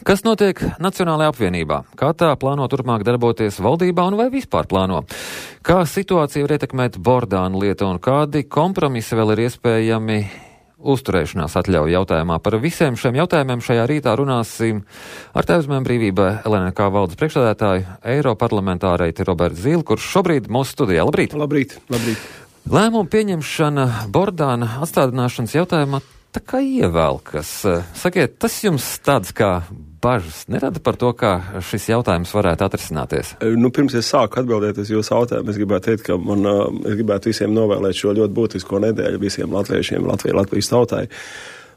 Kas notiek Nacionālajā apvienībā? Kā tā plāno turpmāk darboties valdībā un vai vispār plāno? Kā situācija var ietekmēt Bordāna lietu un kādi kompromisi vēl ir iespējami uzturēšanās atļauju jautājumā? Par visiem šiem jautājumiem šajā rītā runāsim ar Tēvzemēm brīvībai LNK valdes priekšsēdētāju, eiroparlamentārieiti Robertu Zīli, kurš šobrīd mūsu studijā. Labrīt! Labrīt! Lēmumu pieņemšana Bordāna atstādināšanas jautājumā tā kā ievelkas. Sakiet, tas jums tāds kā bažas nerada par to, kā šis jautājums varētu atrisināties? Pirms es sāku atbildēt uz jūsu jautājumu, es gribētu teikt, ka es gribētu visiem novēlēt šo ļoti būtisko nedēļu visiem latviešiem, Latvijas tautai.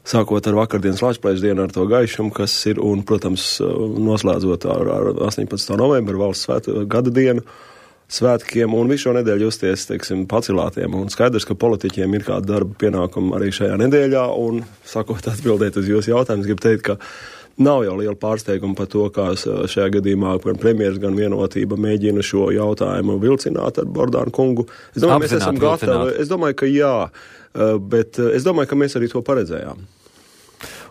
Sākot ar vakardienas Latvijas dienu ar to gaišumu, kas ir, un, protams, noslēdzot ar 18. novembru valsts gada dienu, svētkiem un visu šo nedēļu justies, pacilātiem. Un skaidrs, ka politiķiem ir kāda darba pienākuma arī šajā nedēļā. Un, sakot, atbildēt uz jūsu jautājumu, gribu teikt, ka nav jau liela pārsteiguma par to, kā šajā gadījumā gan premjeras, gan Vienotība mēģina šo jautājumu vilcināt ar Bordānu kungu. Es domāju, mēs esam gatavi. Es domāju, ka jā, bet es domāju, ka mēs arī to paredzējām.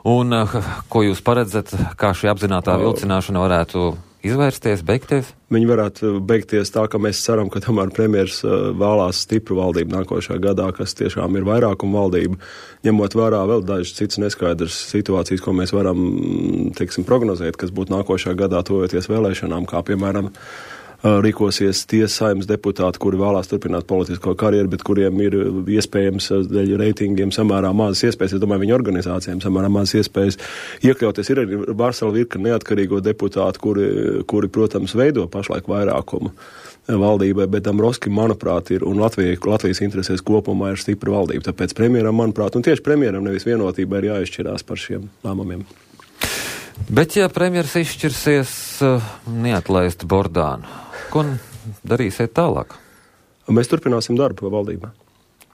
Un ko jūs paredzat, kā šī apzinātā vilcināšana varētu izvērsties, beigties? Viņi varētu beigties tā, ka mēs ceram, ka tomēr premjers vēlās stipru valdību nākošajā gadā, kas tiešām ir vairākuma valdība, ņemot vērā vēl dažas citas neskaidras situācijas, ko mēs varam, prognozēt, kas būtu nākošajā gadā tojoties vēlēšanām, kā piemēram rīkosies tie Saeimas deputāti, kuri vēlās turpināt politisko karjeru, bet kuriem ir iespējams dēļ reitingiem samērā mazas iespējas, es domāju, viņu organizācijām samērā mazas iespējas iekļauties. Ir arī vesela virkne neatkarīgo deputātu, kuri, protams, veido pašlaik vairākumu valdībai, bet Dombrovskis, manuprāt, ir, un Latvijas interesēs kopumā ir stipra valdība. Tāpēc premjeram, manuprāt, un tieši premjeram nevis Vienotībai ir jāizšķirās par šiem lēmumiem. Bet, ja premjeras izšķirsies neatlaist Bordānu, ko darīsiet tālāk? Mēs turpināsim darbu valdībā.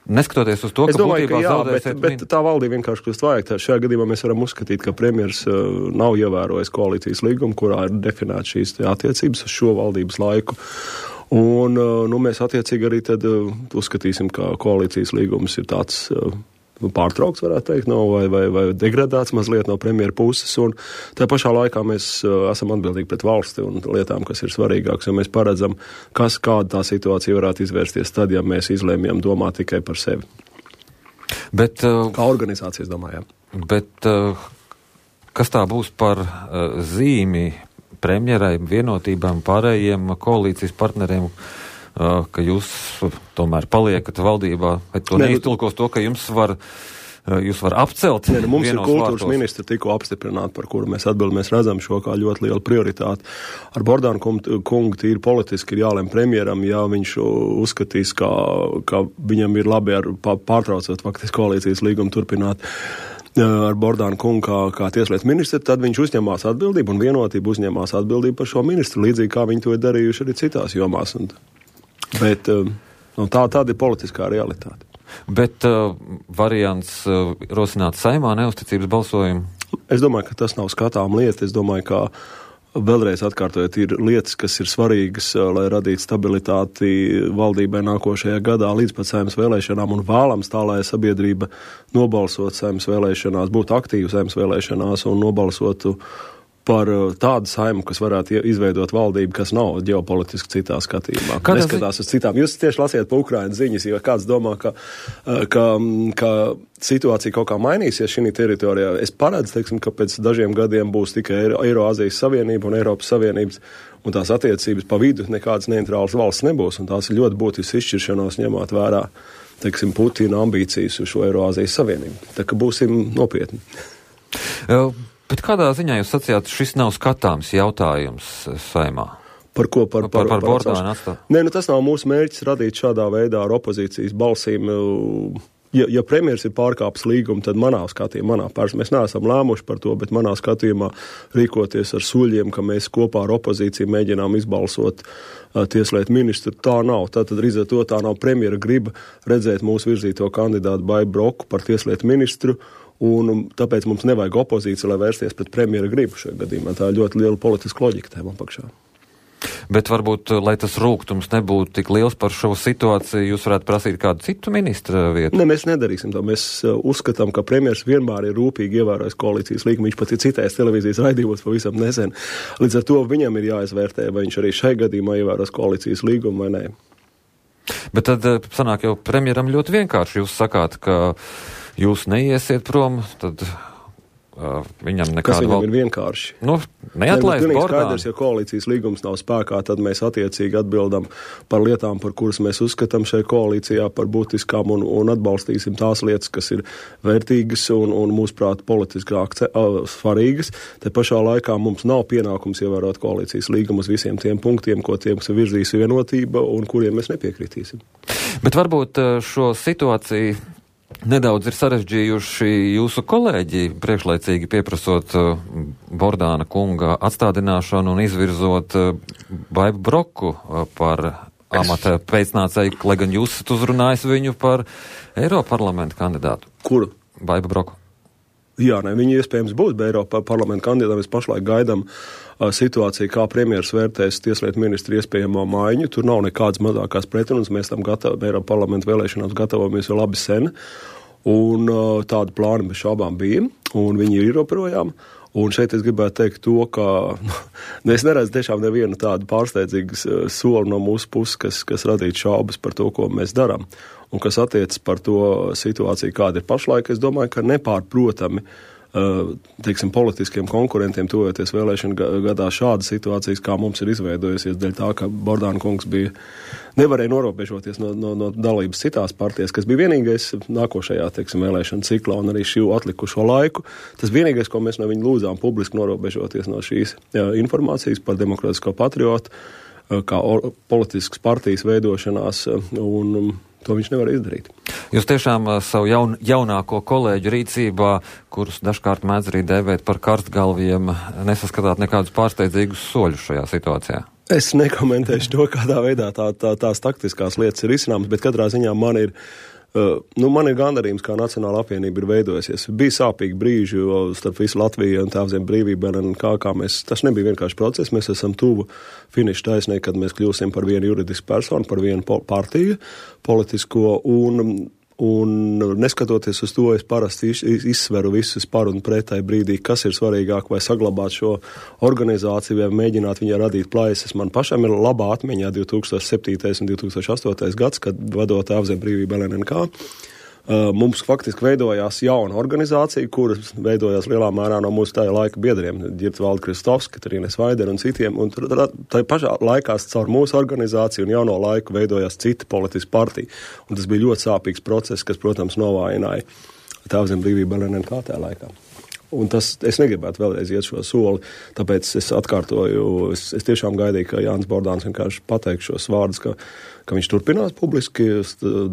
Neskatoties uz to, ka būtībā zaudēsiet... Bet tā valdība vienkārši kļūst vajag. Šajā gadījumā mēs varam uzskatīt, ka premjers nav ievērojis koalīcijas līgumu, kurā ir definēta šīs attiecības uz šo valdības laiku. Un mēs attiecīgi arī tad uzskatīsim, ka koalīcijas līgums ir tāds... pārtraukts, varētu teikt, vai degradēts mazliet no premjera puses, un tā pašā laikā mēs esam atbildīgi pret valsti un lietām, kas ir svarīgākas, jo mēs paredzam, kāda tā situācija varētu izvērsties tad, ja mēs izlēmjam domāt tikai par sevi. Bet, kā organizācijas domājām. Bet kas tā būs par zīmi premjerai, Vienotībām, pārējiem koalīcijas partneriem, ka jūs tomēr paliekat valdībā, bet to neiztulkos to, ka jūs var apcelt. Mums ir kultūras ministra tikko apstiprināta, par kuru mēs atbildam. Mēs redzam šo kā ļoti lielu prioritāti. Ar Bordānu kungu tīri politiski ir jālem premjeram, ja viņš uzskatīs, ka viņam ir labi pārtraucot faktiski koalīcijas līgumu turpināt ar Bordānu kungu kā tieslietu ministru, tad viņš uzņemās atbildību un Vienotība uzņemās atbildību par šo ministru, līdzīgi kā viņi to ir darījuši arī citās jomās. Bet tāda ir politiskā realitāte. Bet variants rosināt Saeimā neuzticības balsojumu? Es domāju, ka tas nav skatām lieta. Es domāju, ka vēlreiz atkārtojot, ir lietas, kas ir svarīgas, lai radītu stabilitāti valdībai nākošajā gadā līdz pat Saeimas vēlēšanām un vēlams tā, lai sabiedrība nobalsot Saeimas vēlēšanās, būtu aktīva Saeimas vēlēšanās un nobalsotu par tādu Saimu, kas varētu izveidot valdību, kas nav ģeopolitiski citā skatījumā. Neskatās uz citām. Jūs tieši lasiet pa Ukrainas ziņas, jo kāds domā, ka situācija kaut kā mainīsies šī teritorijā. Es paredzu, ka pēc dažiem gadiem būs tikai Eiroazijas Savienība un Eiropas Savienības un tās attiecības pa vidu nekādas neitrālas valsts nebūs, un tās ir ļoti būtisks izšķiršanās ņemot vērā, Putina ambīcijas uz šo Eiroazijas Savienību. Tā ka būsim nopietni. Bet kādā ziņā jūs sacījāt, šis nav skatāms jautājums Saeimā? Par ko? Par Bordānu atstāt? Nē, tas nav mūsu mērķis radīt šādā veidā ar opozīcijas balsīm. Ja premjers ir pārkāpis līgumu, tad manā skatījumā, mēs neesam lēmuši par to, bet manā skatījumā rīkoties ar suļiem, ka mēs kopā ar opozīciju mēģinām izbalsot tieslietu ministru, tā nav. Tātad rīzē to tā nav premjera griba redzēt mūsu virzīto kandidātu Baibu Broku par tieslietu ministru, un tāpēc mums nevajag opozīcija, lai vērsties pret premjera gribu šajā gadījumā. Tā ir ļoti liela politiska loģika tēmā pakšā. Bet varbūt, lai tas rūgtums nebūtu tik liels par šo situāciju, jūs varētu prasīt kādu citu ministra vietu? Ne, mēs nedarīsim to. Mēs uzskatām, ka premjers vienmēr ir rūpīgi ievērojis koalīcijas līgumu. Viņš pat ir citējis televīzijas raidījumos pavisam nesen. Līdz ar to viņam ir jāizvērtē, vai viņš arī šai gadījumā ievēros koalīcijas līgumu vai nē. Bet tad sanāk jau premjeram ļoti vienkārši. Jūs sakāt, ka jūs neiesiet prom, tad viņam nekādu... Kas viņam ir vienkārši? Nu, neatlaist Bordānu. Skaidrs, ja koalīcijas līgums nav spēkā, tad mēs attiecīgi atbildam par lietām, par kuras mēs uzskatām šai koalīcijā par būtiskām un atbalstīsim tās lietas, kas ir vērtīgas un mūsuprāt politiski svarīgas. Te pašā laikā mums nav pienākums ievērot koalīcijas līgumus visiem tiem punktiem, ko tiem virzīs vienotība un kuriem mēs nepiekritīsim. Bet varbūt šo situāciju nedaudz ir sarežģījuši jūsu kolēģi, priekšlaicīgi pieprasot Bordāna kunga atstādināšanu un izvirzot Baibu Broku par amata pēcnācēju, lai gan jūs esat uzrunājis viņu par Eiroparlamenta kandidātu. Kuru? Baibu Broku. Jā, viņi iespējams būs Eiroparlamenta kandidāti. Mēs pašlaik gaidām situāciju, kā premjeras vērtēs tieslietu ministru iespējamo maiņu. Tur nav nekādas mazākās pretrunas. Mēs tam Eiroparlamenta vēlēšanās gatavojamies jau labi sen. Un tādu plānu bez šaubām bija. Un viņi ir joprojām. Un šeit es gribētu teikt to, ka es neredzu tiešām nevienu tādu pārsteidzīgu soli no mūsu puses, kas radītu šaubas par to, ko mēs darām. Un kas attiecas par to situāciju, kāda ir pašlaik, es domāju, ka nepārprotami, teiksim, politiskiem konkurentiem tuvojoties vēlēšanu gadā šāda situācijas, kā mums ir izveidojusies, dēļ tā, ka Bordāna kungs nevarēja norobežoties no dalības citās partijas, kas bija vienīgais nākošajā, teiksim, vēlēšanu ciklā un arī šī atlikušo laiku. Tas vienīgais, ko mēs no viņa lūdzām publiski norobežoties no šīs informācijas par Demokrātisko patriotu, kā politiskas partijas veidošanās, un to viņš nevar izdarīt. Jūs tiešām savu jaunāko kolēģu rīcībā, kurus dažkārt mēdz arī dēvēt par karstgalviem, nesaskatāt nekādus pārsteidzīgus soļus šajā situācijā? Es nekomentēšu to, kādā veidā tās taktiskās lietas ir izcināmas, bet katrā ziņā man ir gandarījums, kā Nacionāla apvienība ir veidojusies. Bija sāpīgi brīži starp visu Latviju un Tēvzem brīvību, tas nebija vienkārši process, mēs esam tuvu finiša taisnē, kad mēs kļūsim par vienu juridisku personu, par vienu partiju politisko, un neskatoties uz to, es parasti izsveru visus par un pretai brīdī, kas ir svarīgāk, vai saglabāt šo organizāciju, vai mēģināt viņai radīt plaisas. Man pašam ir labā atmiņā 2007. un 2008. gads, kad vadot Tēvzem brīvību LNNK. Mums faktiski veidojās jauna organizācija, kuras veidojās lielā mērā no mūsu tajā laika biedriem, Ģirta Valda Kristovs, Katrīna Svaidera un citiem, un tā pašā laikā caur mūsu organizāciju un jauno laiku veidojās cita politiska partija. Un tas bija ļoti sāpīgs process, kas, protams, novājināja Tēvzem brīvību LNNK tajā laikā. Un es negribētu vēlreiz iet šo soli, tāpēc es atkārtoju, es tiešām gaidīju, ka Jānis Bordāns vienkārši pateiks šos vārdus, ka viņš turpinās publiski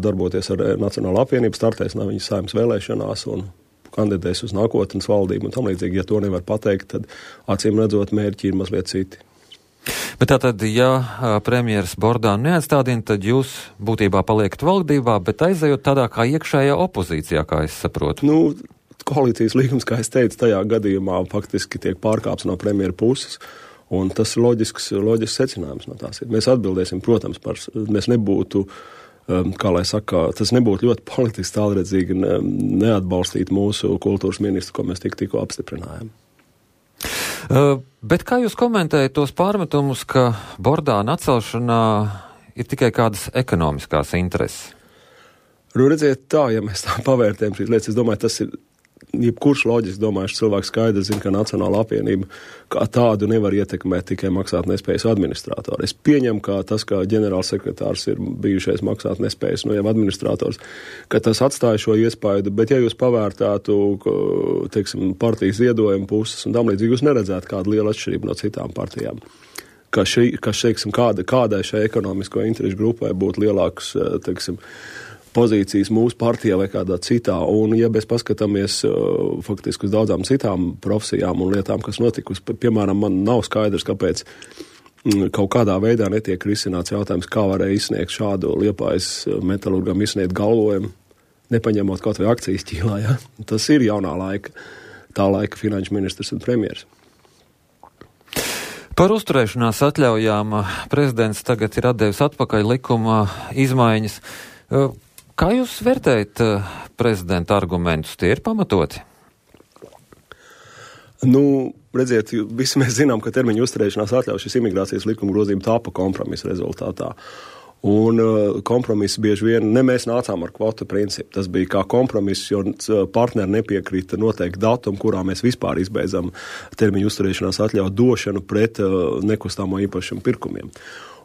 darboties ar Nacionālo apvienību, startēs no viņa saimnes vēlēšanās un kandidēs uz nākotnes valdību un tam līdzīgi. Ja to nevar pateikt, tad acīm redzot mērķi ir mazliet citi. Bet tātad, ja premjeras Bordānu neatstādina, tad jūs būtībā paliekat valdībā, bet aizejot tādā kā iekšējā opozīcijā, kā es saprotu. Koalīcijas līgums, kā es teicu, tajā gadījumā faktiski tiek pārkāpts no premjera puses, un tas ir loģisks secinājums no tās. Mēs atbildēsim, protams, mēs nebūtu, tas nebūtu ļoti politiski tālredzīgi neatbalstīt mūsu kultūras ministru, ko mēs tikko apstiprinājām. Bet kā jūs komentējat tos pārmetumus, ka Bordāna atcelšanā ir tikai kādas ekonomiskās intereses? Redziet tā, ja mēs tā pavērtējam šīs lietas, es domāju, tas ir jebkurš loģiski domājuši cilvēks skaidrs zina, ka Nacionāla apvienība kā tādu nevar ietekmēt tikai maksātnespējas administratori. Es pieņemu, ka tas, ka ģenerālsekretārs ir bijušais maksātnespējas, jau administrators, ka tas atstāja šo iespaidu, bet ja jūs pavērtātu, teiksim, partijas ziedojumu puses un tam līdzīgi, jūs neredzētu kādu lielu atšķirību no citām partijām. Kādai šai ekonomisko interešu grupai būtu lielāks, teiksim, pozīcijas mūsu partijā vai kādā citā. Un, ja mēs paskatāmies faktiski uz daudzām citām profesijām un lietām, kas notikusi, piemēram, man nav skaidrs, kāpēc kaut kādā veidā netiek risināts jautājums, kā varēja izsniegt šādu Liepājas metalurgam izsniegt galvojumu, nepaņemot kaut vai akcijas ķīlā. Ja? Tas ir jaunā laika, tā laika finanšu ministrs un premjers. Par uzturēšanās atļaujām prezidents tagad ir atdevis atpakaļ likuma izmaiņas. Kā jūs vērtējat prezidenta argumentus? Tie ir pamatoti? Redziet, visi mēs zinām, ka termiņu uzturēšanās atļauj šis imigrācijas likuma grozījuma tāpa kompromisa rezultātā. Un kompromiss bieži vien, mēs nācām ar kvotu principu. Tas bija kā kompromiss, jo partneri nepiekrita noteikti datumu, kurā mēs vispār izbeidzam termiņu uzturēšanās atļauju došanu pret nekustamo īpašumu pirkumiem.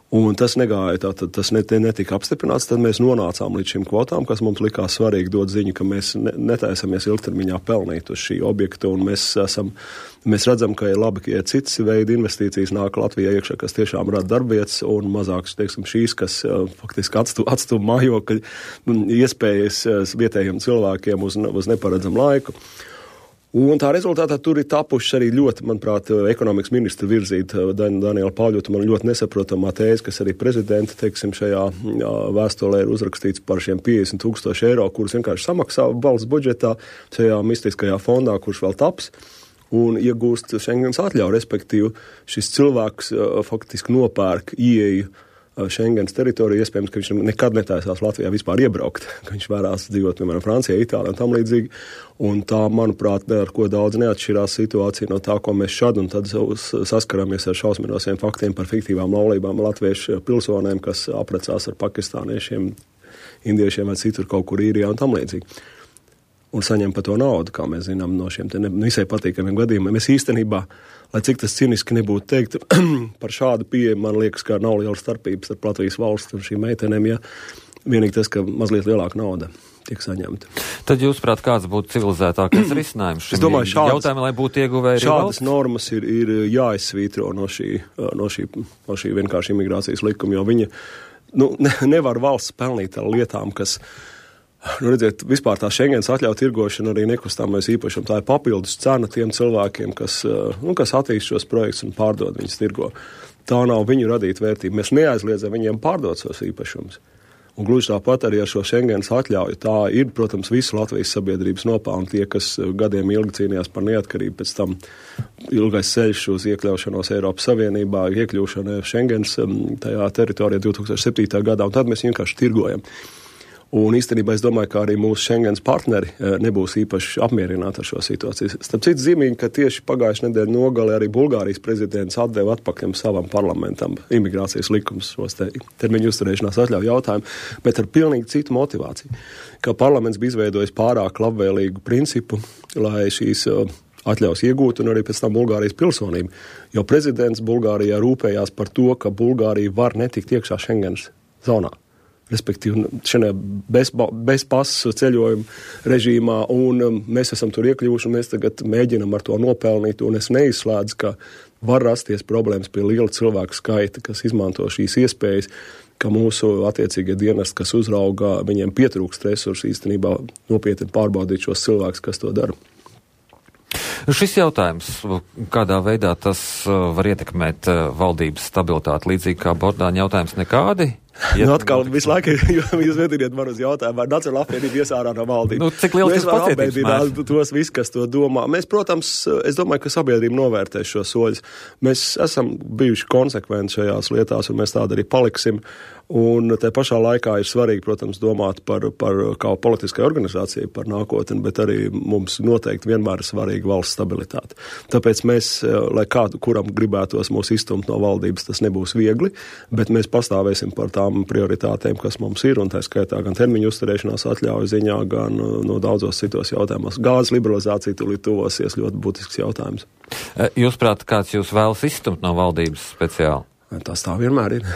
Un tas negāja, tas netika apstiprināts, tad mēs nonācām līdz šīm kvotām, kas mums likās svarīgi dot ziņu, ka mēs netaisamies ilgtermiņā pelnīt uz šī objekta, un mēs redzam, ka ir labi, ka citas veidi investīcijas nāk Latvijā iekšā, kas tiešām rada darbvietas, un mazāks, šīs, kas faktiski atstūm mājokļu iespējas vietējiem cilvēkiem uz neparedzam laiku. Un tā rezultātā tur ir tapušas arī ļoti, manuprāt, ekonomikas ministra virzīta Daniela Pauļota, man ļoti nesaprotamā tēze, kas arī prezidenta, šajā vēstulē ir uzrakstīts par šiem 50,000 eiro, kurus vienkārši samaksā valsts budžetā šajā mistiskajā fondā, kurš vēl taps, un iegūst Schengens atļauju, respektīvi šis cilvēks faktiski nopērk ieeju Schengens teritoriju, iespējams, ka viņš nekad netaisās Latvijā vispār iebraukt, ka viņš vērās dzīvot, piemēram, Francijā, Itālijā un tam līdzīgi. Un tā, manuprāt, ar ko daudz neatšķirās situācija no tā, ko mēs šad un tad saskaramies ar šausminošiem faktiem par fiktīvām laulībām latviešu pilsonēm, kas aprecās ar pakistāniešiem, indiešiem vai citur kaut kur Īrijā un tam līdzīgi. Un saņem par to naudu, kā mēs zinām no šiem visai patīkamiem gadījumiem. Mēs īstenībā, lai cik tas ciniski nebūtu teikt, par šādu pieeju, man liekas, ka nav liela starpības ar Latvijas valsts un šīm meitenēm, ja vienīgi tas, ka mazliet lielāka nauda tiek saņemta. Tad jūs prāt, kāds būtu civilizētākais risinājums šim jautājumam, lai būtu ieguvēji arī valsts? Šādas normas ir jāizsvītro no šī vienkārši imigrācijas likuma, jo viņa nevar valsts pelnīt ar lietām, kas redziet, vispār tā Schengens atļauja tirgošana arī nekustamais īpašumu. Tā ir papildus cena tiem cilvēkiem, kas attīst šos projektus un pārdod viņus tirgo. Tā nav viņu radīta vērtība. Mēs neaizliedzam viņiem pārdot šos īpašumus. Un gluži tāpat arī ar šo Schengens atļauju. Tā ir, protams, visu Latvijas sabiedrības nopelni. Tie, kas gadiem ilgi cīnījās par neatkarību, pēc tam ilgais ceļš uz iekļaušanos Eiropas Savienībā, iekļūšana Schengens tajā teritorijā 2007. gadā, un tad mēs vienkārši tirgojam. Un īstenībā es domāju, ka arī mūsu Schengens partneri nebūs īpaši apmierināti ar šo situāciju. Starp citu zīmīgi, ka tieši pagājušajā nedēļā nogalē arī Bulgārijas prezidents atdeva atpakaļ savam parlamentam imigrācijas likums šos termiņu uzturēšanās atļauju jautājumu, bet ar pilnīgi citu motivāciju. Ka parlaments bija izveidojis pārāk labvēlīgu principu, lai šīs atļaus iegūt un arī pēc tam Bulgārijas pilsonību. Jo prezidents Bulgārijā rūpējās par to, ka Bulgārija var netikt iekšā Schengens zonā. Respektīvi, šajā bez pasu ceļojuma režīmā, un mēs esam tur iekļuvuši, un mēs tagad mēģinam ar to nopelnīt, un es neizslēdzu, ka var rasties problēmas pie liela cilvēku skaita, kas izmanto šīs iespējas, ka mūsu attiecīgie dienesti, kas uzrauga, viņiem pietrūkst resursi īstenībā nopietni pārbaudīt šos cilvēkus, kas to dara. Šis jautājums, kādā veidā tas var ietekmēt valdības stabilitāti, līdzīgi kā Bordāņa jautājums, nekādi? Atkal visu laiku jūs vediniet man uz jautājumu, vai Nacionālā apvienība ies ārā no valdības. Cik liels tas pacietības mērs? Tos viss, kas to domā. Mēs, protams, es domāju, ka sabiedrība novērtēs šos soļus. Mēs esam bijuši konsekventi šajās lietās, un mēs tādi arī paliksim. Un te pašā laikā ir svarīgi, protams, domāt par kā politiskai organizācijai par nākotni, bet arī mums noteikti vienmēr ir svarīga valsts stabilitāte. Tāpēc mēs, lai kādu, kuram gribētos mūs izstumt no valdības, tas nebūs viegli, bet mēs pastāvēsim par tām prioritātēm, kas mums ir, un tā skaitā gan termiņu uzturēšanās atļauju ziņā, gan no daudzos citos jautājumos. Gāzes liberalizācija tūlīt tuvosies, ļoti būtisks jautājums. Jūs prāt, kāds jūs vēlas izstumt no valdības speciāli? Tas tā vienmēr ir.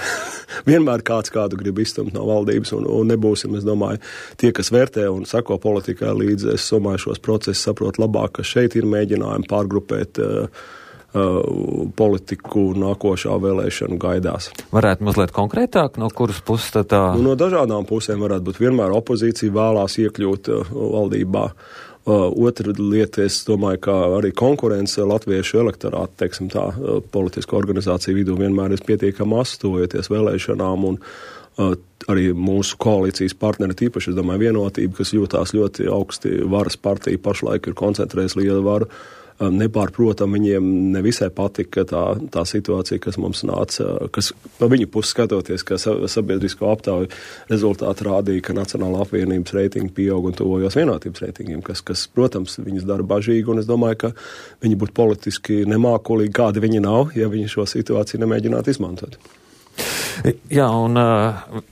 Vienmēr kādu grib izstumt no valdības, un nebūsim, es domāju, tie, kas vērtē un sako politikai līdzi, es domāju, šos procesus saprot labāk, ka šeit ir mēģinājumi pārgrupēt politiku nākošā vēlēšanu gaidās. Varētu mazliet konkrētāk, no kuras puses tā? No dažādām pusēm varētu būt. Vienmēr opozīcija vēlās iekļūt valdībā. Otra lieta, es domāju, ka arī konkurence latviešu elektorātu, teiksim tā, politisko organizāciju vidū vienmēr ir pietiekami astojoties vēlēšanām, un arī mūsu koalīcijas partneri, tīpaši, es domāju, Vienotība, kas jūtās ļoti augsti varas partija, pašlaik ir koncentrējis lielu varu, nepārprotam, viņiem nevisai patika tā situācija, kas mums nāca, kas no viņu puses skatoties, ka sabiedrisko aptauju rezultāti rādīja, ka Nacionālā apvienības reitingi pieaug un tuvojos vienotības reitingiem, kas, protams, viņus dara bažīgi, un es domāju, ka viņi būtu politiski nemākulīgi, kādi viņi nav, ja viņi šo situāciju nemēģinātu izmantot. Jā, un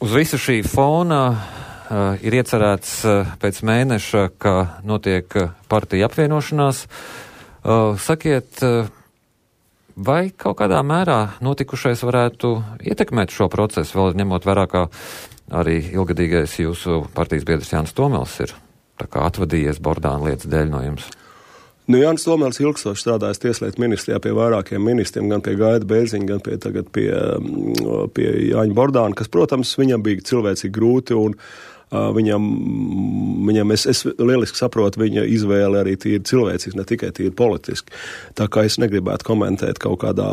uz visu šī fona ir iecerēts pēc mēneša, ka notiek partija apvienošanās. Sakiet, vai kaut kādā mērā notikušais varētu ietekmēt šo procesu, vēl ņemot vērā, ka arī ilgadīgais jūsu partijas biedrs Jānis Tomels ir tā kā atvadījies Bordāna lietas dēļ no jums? Jānis Tomels ilgstoši strādājas Tieslietu ministrijā pie vairākiem ministriem, gan pie Gaida Bērziņa, gan tagad pie Jāņa Bordāna, kas, protams, viņam bija cilvēcīgi grūti un viņam es lieliski saprotu viņa izvēli arī tīri cilvēciski, ne tikai tīri politiski. Tā kā es negribētu komentēt kaut kādā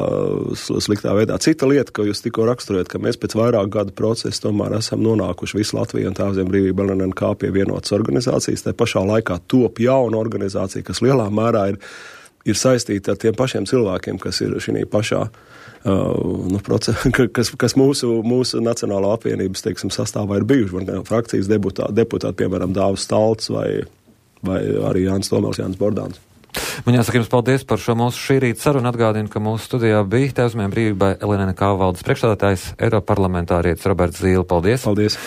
sliktā veidā. Cita lieta, ko jūs tikko raksturējat, ka mēs pēc vairāk gadu procesa tomēr esam nonākuši visu Latviju un Tēvzem brīvība LNNK pie vienotas organizācijas. Tā pašā laikā top jauna organizācija, kas lielā mērā ir saistīta ar tiem pašiem cilvēkiem, kas ir šī pašā kas mūsu Nacionālā apvienības, teiksim, sastāvā ir bijuši, vai frakcijas deputāti, piemēram, Dāvis Stalts vai arī Jānis Tomels, Jānis Bordāns. Man jāsaka jums paldies par šo mūsu šī rīta sarunu. Atgādinu, ka mūsu studijā bija Tēvzem brīvībai LNNK valdes priekšstādātājs, Eiroparlamentārietis Roberts Zīle. Paldies! Paldies!